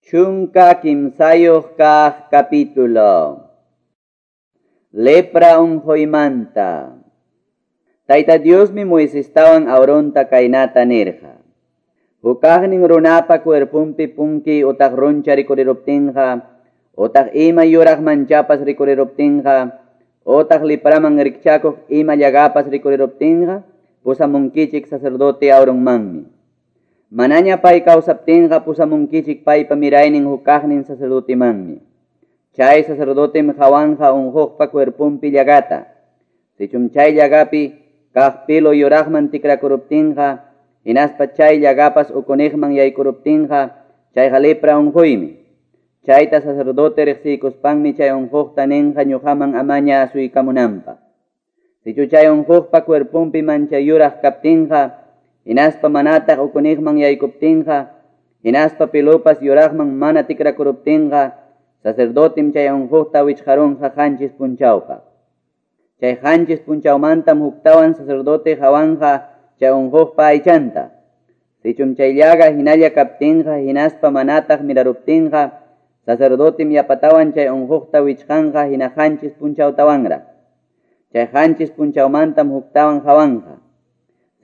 13 kaq capítulo. Lepra unqoymanta. Tayta Diosmi Moisestawan Aaronta kaynata nirqa. Hukaqnin runapa cuerpunpi punki utaq runcha rikuriruptinqa, utaq ima yuraq manchapas rikuriruptinqa, utaq lipraman rikchakuq ima llagapas rikuriruptinqa, pusamunkichik sacerdote Aaronmanmi. Manaña pay kawsaptinqa pusamunkichik paypa miraynin hukaqnin sacerdotemanmi. Chay sacerdotem qhawanqa unquqpa cuerpunpi llagata. Sichum chay llagapi kaq pilo yuraqman tikrakuruptinqa, hinaspa chay llagapas ukuniqman yaykuruptinqa, chayqa lepra unquymi. Chayta sacerdote riqsiykuspanmi chay unquqta ninqa ñuqaman amaña asuykamunanpaq. Sichu chay unquqpa cuerpunpi mancha yuraq kaptinqa, hinaspa manataq ukuniqman yaykuptinqa, hinaspa pilopas yuraqman mana tikrakuruptinqa, sacerdotem chay unquqta wichqarunqa 7 punchawpaq. Chay 7 punchawmantam huktawan sacerdote qhawanqa chay unquqpa aychanta. Sichum chay llaga hinalla kaptinqa, hinaspa manataq miraruptinqa, sacerdotem yapatawan chay unquqta wichqanqa hina 7 punchawtawanraq. Chay 7 punchawmantam huktawan qhawanqa.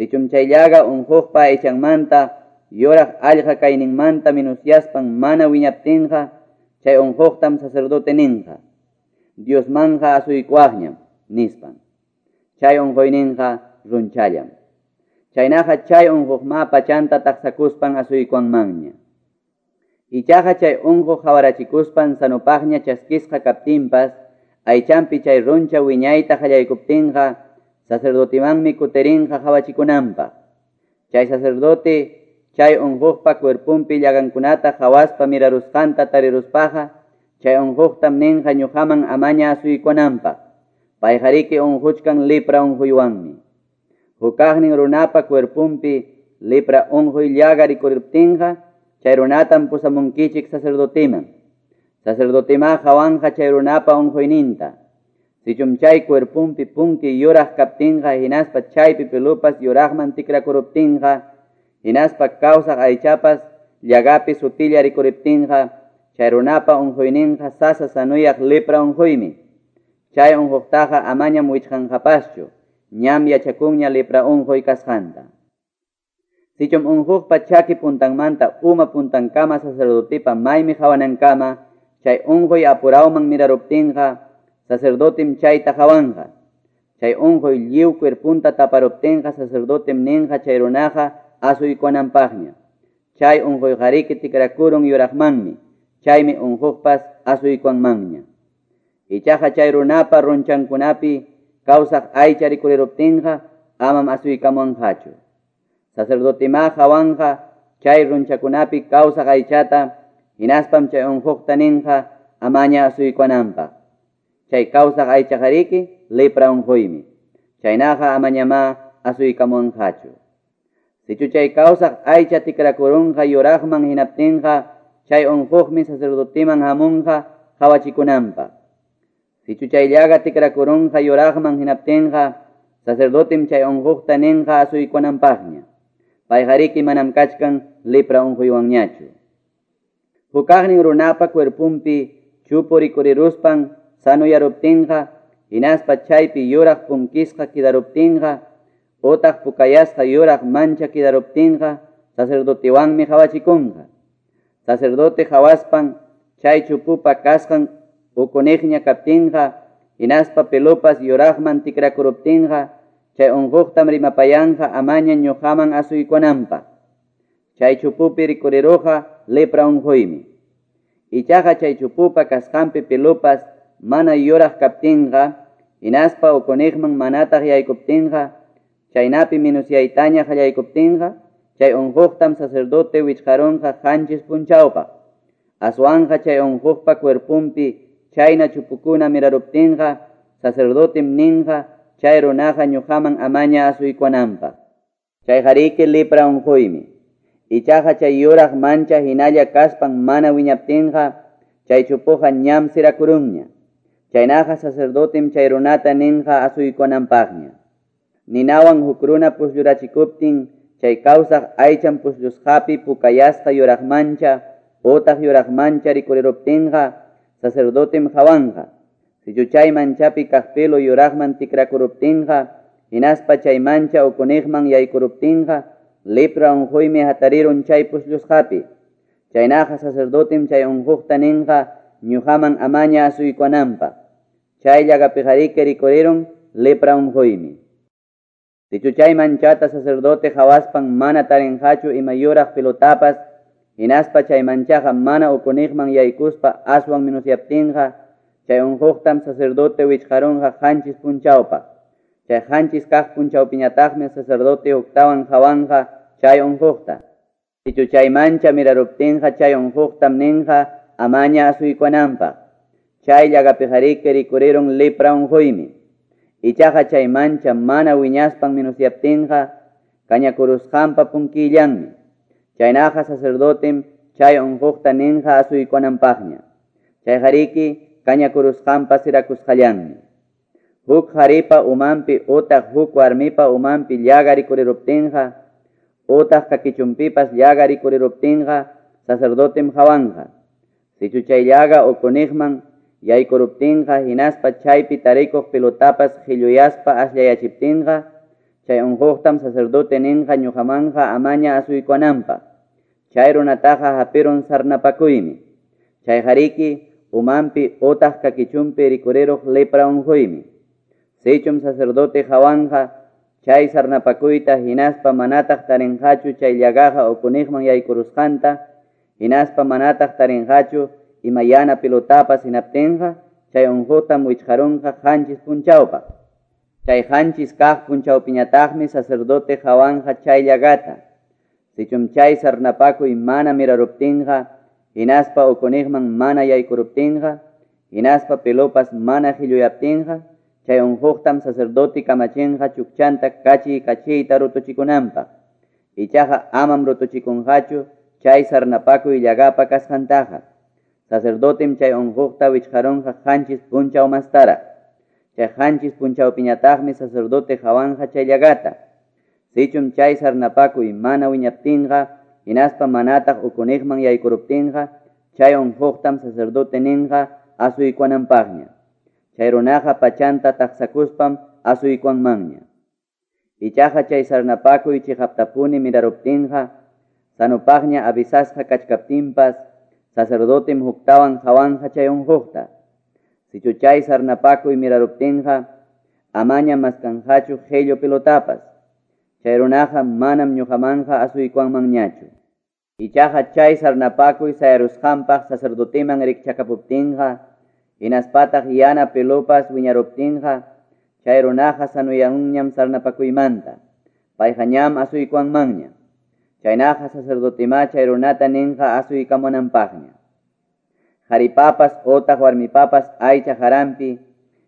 Sichum chay llaga unquqpa aychanmanta, yuraq allqa kayninmanta minusyaspan mana wiñaptinqa, chay unquqtam sacerdote ninqa, Diosmanja asuykuaqñam, nispan. Chay unquyninqa runchallam. Chaynaqa chay unquqma pachanta taqsakuspan asuykuanmanña. Ichaqa chay unquq qhawarachikuspan sanupaqña chaskisqa kaptinpas, aychanpi chay runcha wiñayta qallaykuptinqa, sacerdotemanmi kutirinqa qhawachikunanpaq. Chay sacerdote chay unquqpa cuerpunpi llagankunata qhawaspa mirarusqanta tariruspaqa, chay unquqtam ninqa ñuqaman amaña asuykunanpaq. Payqariki unquchkan lepra unquywanmi. Hukaqnin runapa cuerpunpi lepra unquy llaga rikuriptinqa, chay runatam pusamunkichik sacerdoteman. Sacerdotema qhawanqa chay runapa unquyninta. Sichum chay cuerpunpi punki yuraq kaptinqa, hinaspa chaypi pilupas yuraqman tikrakuruptinqa, hinaspa kawsaq aychapas llagapi sutilla rikuriptinqa, chay runapa unquyninqa sasa sanuyaq lepra unquymi. Chay unquqtaqa amañam wichqanqapaschu, ñam yachakunña lepra unquy kasqanta. Sichum unquqpa chaki puntanmanta uma puntankama sacerdotepa maymi qhawanankama, chay unquy apurawman miraruptinqa, sacerdotem chayta qhawanqa. Chay unquy lliw cuerpunta taparuptinqa, sacerdotem ninqa chay runaqa asuykunanpaqña. Chay unquyqariki tikrakurun yuraqmanmi, chaymi unquqpas asuykuanmanña. Ichaqa chay runapa runchankunapi kawsaq aycha rikuriruptinqa, amam asuykamunqachu. Sacerdotema qhawanqa chay runchakunapi kawsaq aychata, hinaspam chay unquqta ninqa amaña asuykuananpaq. Chay kawsaq aychaqariki lepra unquymi. Chaynaqa amañamá asuykamunqachu. Sichu chay kawsaq aycha tikrakurunqa yuraqman hinaptinqa, chay unquqmi sacerdoteman hamunqa qhawachikunanpaq. Sichu chay llaga tikrakurunqa yuraqman hinaptinqa, sacerdotem chay unquqta ninqa asuykunanpaqña. Payqariki manam kachkan lepra unquywanñachu. Hukaqnin runapa cuerpunpi chupu rikuriruspan sanuyaruptinqa, hinaspa chaypi yuraq punkisqa kidaruptinqa, utaq pukayasqa yuraq mancha kidaruptinqa, sacerdotewanmi qhawachikunqa. Sacerdote qhawaspan chay chupupa kasqan ukuniqña kaptinqa, hinaspa pelopas yuraqman tikrakuruptinqa, chay unquqtam rimapayanqa amaña ñuqaman asuykunanpaq. Chay chupupi rikuriruqa lepra unquymi. Ichaqa chay chupupa kasqanpi pelopas mana yuraq kaptinqa, hinaspa ukuniqman manataq yaykuptinqa, chaynapi minusyaytaña qallaykuptinqa, chay unquqtam sacerdote wichqarunqa 7 punchawpaq. Aswanqa chay unquqpa cuerpunpi chayna chupukuna miraruptinqa, sacerdotem ninqa chay runaqa ñuqaman amaña asuykunanpaq. Chayqariki lepra unquymi. Ichaqa chay yuraq mancha hinalla kaspan mana wiñaptinqa, chay chupuqa ñam sirakurunña. Chaynaqa sacerdotem chay runata ninqa asuykunanpaqña. Ninawan huk runa pusllurachikuptin, chay kawsaq aychan pusllusqapi pukayasqa yuraq mancha, otaq yuraq mancha rikuriruptinqa, sacerdotem qawanqa. Sichu chay manchapi kaq pelo yuraqman tikrakuruptinqa, hinaspa chay mancha ukuniqman yaykuruptinqa, lepra unquymi hatarirun chay pusllusqapi. Chaynaqa sacerdotem chay unquqta ninqa ñuqaman amaña asuykuwananpaq. Chay llagapiqariki rikurirun lepra unquymi. Sichu chay manchata sacerdote qawaspan mana tarinqachu ima yuraq pelotapas, hinaspa chay manchaqa mana ukuniqman yaykuspa aswan minusyaptinqa, chay unquqtam sacerdote wichqarunqa qanchis punchawpaq. Chay qanchis kaq punchawpiñataqmi sacerdote huktawan qawanqa chay unquqta. Sichu chay mancha miraruptinqa chay unquqtam ninqa amaña asuykuwananpaq. Chay llagapiqariki rikurirun lepra unquymi. Ichaqa chay mancha mana wiñaspan minusyaptinqa kañakurusqanpa punkillanmi. Chaynaqa sacerdotem chay unquqta ninqa asuykuwananpaqña. Chayqariki kañakurusqanpa sirakusqallanmi. Huk qharipa umanpi utaq huk warmipa umanpi llaga rikuriruptinqa, utaq kakichunpipas llaga rikuriruptinqa, sacerdotem qawanqa. Sichu chay llaga ukuniqman yaykuruptinqa hinaspa chaypi tarikuq pelotapas qhilluyaspa asllayachiptinqa, chay unquqtam sacerdote ninqa ñuqamanqa amaña asuykuwananpaq. Chay runataqa hapirun sarnapakuymi. Chayqariki umanpi utaq kakichunpi rikuriruq lepra unquymi. Sichum sacerdote qawanqa chay sarnapakuyta hinaspa manataq tarinqachu chay llagaqa ukuniqman yaykurusqanta, hinaspa manataq tarinqachu ima yana pelotapas hinaptinqa, chay unquqtam wichqarunqa qanchis punchawpaq. Chay qanchis kaq punchawpiñataqmi sacerdote qawanqa chay llagata. Sichum chay sarnapakuy mana miraruptinqa, hinaspa ukuniqman mana yaykuruptinqa, hinaspa pelopas mana qhilluyaptinqa, chay unquqtam sacerdote kamachinqa chukchanta kachiy kachiyta rutuchikunanpaq. Ichaqa amam rutuchikunqachu chay sarnapakuy llagapa kasqantaqa. Sacerdotem chay unquqta wichqarunqa qanchis punchaw mastaraq. Chay qanchis punchawpiñataqmi sacerdote qawanqa chay llagata. Sichum chay sarnapakuy mana wiñaptinqa, hinaspa manataq ukuniqman yaykuruptinqa, chay unquqtam sacerdote ninqa asuykuwananpaqña. Chay runaqa pachanta taqsakuspam asuykuwanmanña. Ichaqa chay sarnapakuy chiqaptapuni miraruptinqa, sanupaqña avisasqa kachkaptinpas, sacerdotem huktawan qawanqa chay unquqta. Sichu chay sarnapakuy miraruptinqa, amaña maskanqachu qhillu pelotapas. Chay runaqa manam ñuqamanqa asuykuwanmanñachu. Ichaqa chay sarnapakuy sayarusqanpaq sacerdoteman rikchakapuptinqa, hinaspataq yana pelopas wiñaruptinqa, chay runaqa sanuyarunñam sarnapakuymanta. Payqa ñam asuykuwanmanña. Chaynaqa sacerdotemá chay runata ninqa asuykamunanpaqña. Qharipapas utaq warmipapas aycha qaranpi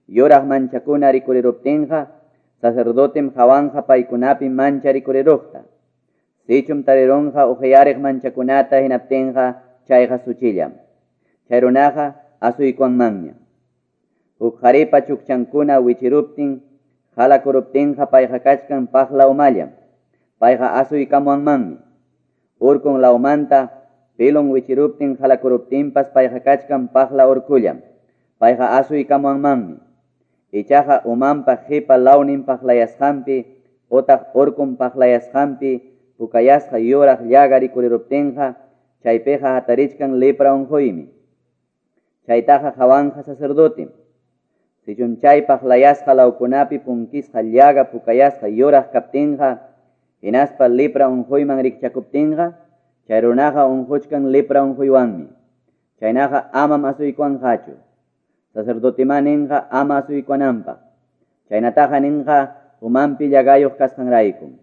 yuraq manchakuna rikuriruptinqa, sacerdotem qawanqa paykunapi mancha rikuriruqta. Sichum tarirunqa uqyariq manchakunata hinaptinqa chayqa suchillam. Chay runaqa asuykuwanmanña. Huk qharipa chukchankuna wichiruptin, qhalakuruptinqa payqa kachkan paqla umallam. Payqa asuykamuwanmanmi. Urkun lawmanta pelon wichiruptin qhalakuruptinpas payqa kachkan paqla urkullam. Payqa asuykamuwanmanmi. Ichaqa umanpa qipa lawnin paqlayasqanpi utaq urkun paqlayasqanpi pukayasqa yuraq llaga rikuriruptinqa, chaypiqa hatarichkan lepra unquymi. Chaytaqa qawanqa sacerdotem. Sichum chay paqlayasqa lawkunapi punkisqa llaga pukayasqa yuraq kaptinqa, hinaspa lepra unquyman rikchakuptinqa, chay runaqa unquchkan lepra unquywanmi. Chaynaqa amam asuykuwanqachu. Sacerdotemá ninqa ama asuykuwananpaq. Chaynataqa ninqa umanpi llagayuq kasqanraykum.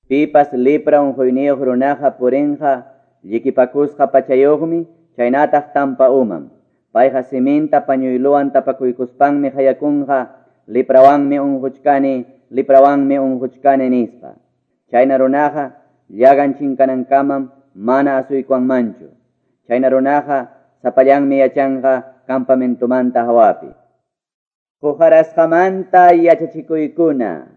Pipas lepra unquyniyuq runaqa purinqa llikipakusqa pachayuqmi, chaynataq tampa umam. Payqa siminta pañuyluwan tapakuykuspanmi qayakunqa, leprawanmi unquchkani, leprawanmi unquchkani nispa. Chayna runaqa llagan chinkanankamam mana asuykuwanmanchu. Chayna runaqa sapallanmi yachanqa campamentomanta hawapi. Quqarasqamanta yachachikuykuna.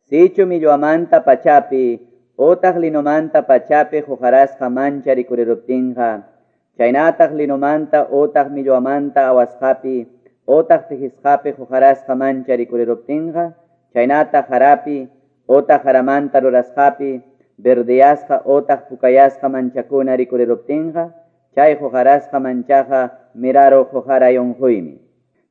Sichu millwamanta pachapi, utaq linomanta pachapi quqarasqa mancha rikuriruptinqa, Chaynataq linomanta otaq millwamanta awasqapi otaq tehisqapi huqarasqa mancha rikuriruptinqa, chaynataq harapi otaq haramanta rurasqapi verdeyasqa otaq pukayasqa manchakuna rikuriruptinqa, chay huqarasqa manchaqa miraruq huqaray unquymi.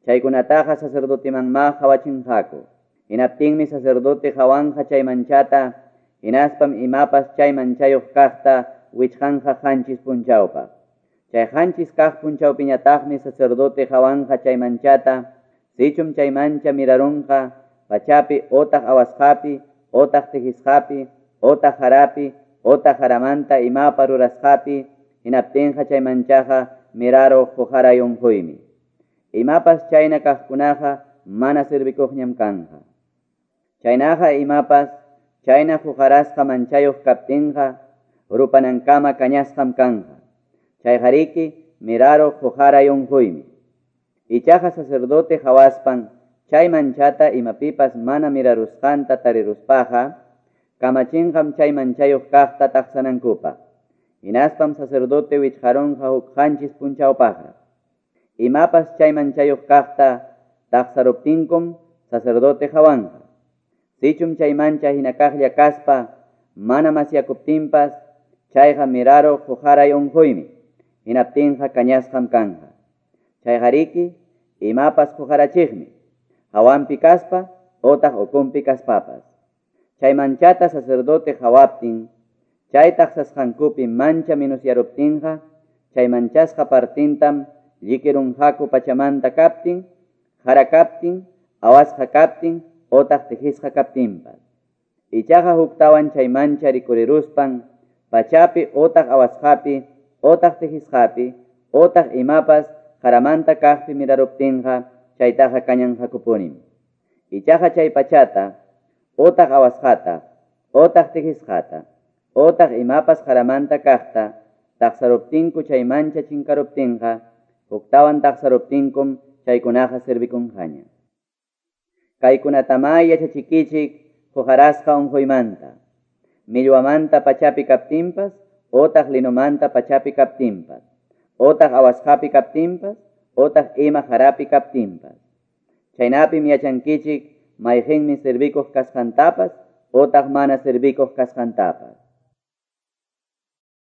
Chaykunataqa sacerdotemanmá qhawachinqaku. Hinaptinmi sacerdote qhawanqa chay manchata, hinaspam imapas chay manchayuq kaqta wichqanqa qanchis punchawpaq. Chay qanchis kaq punchawpiñataqmi sacerdote qhawanqa chay manchata, sichum chay mancha mirarunqa pachapi otaq awasqapi, otaq tehisqapi, otaq harapi, otaq haramanta imapa rurasqapi, hinaptinqa chay manchaqa miraruq huqaray unquymi. Imapas chayna kaqkunaqa mana servikuqñam kanqa. Chaynaqa imapas chayna huqarasqa manchayuq kaptinqa rupanankama kañasqam kanqa. Chayqariki miraruq huqaray unquymi. Ichaqa sacerdote qhawaspan chay manchata imapipas mana mirarusqanta tariruspaqa, kamachinqam chay manchayuq kaqta taqsanankupaq. Hinaspam sacerdote wichqarunqa huk qanchis punchawpaqraq. Imapas chay manchayuq kaqta taqsaruptinkum sacerdote qhawanqa. Sichum chay mancha hina kaqlla kaspa mana masyakuptinpas chayqa miraruq huqaray unquymi. Hinaptinqa kañasqam kanqa. Chayqariki imapas huqarachiqmi, hawanpi kaspa otaq ukunpi kaspapas. Chay manchata sacerdote qhawaptin, chay taqsasqankupi mancha minusyaruptinqa, chay manchasqa partintam llikirunqaku pachamanta kaptin, hara kaptin, awasqa kaptin, otaq tehisqa kaptinpas. Ichaqa huktawan chay mancha rikuriruspan, pachapi otaq awasqapi, otaq tehisqapi, otaq imapas haramanta kaqpi miraruptinqa, chaytaqa kañanqakupunim. Ichaqa chay pachata, otaq awasqata, otaq tehisqata, otaq imapas haramanta kaqta, taqsaruptinku chay mancha chinkaruptinqa, huktawan taqsaruptinkum chaykunaqa servikunqaña. Kaykunatamá yachachikichik huqarasqa unquymanta, millwamanta pachapi kaptinpas, otaq linomanta pachapi kaptinpas, otaq awasqapi kaptinpas, otaq ima harapi kaptinpas. Chaynapim yachankichik mayqinmi servikuq kasqantapas, otaq mana servikuq kasqantapas.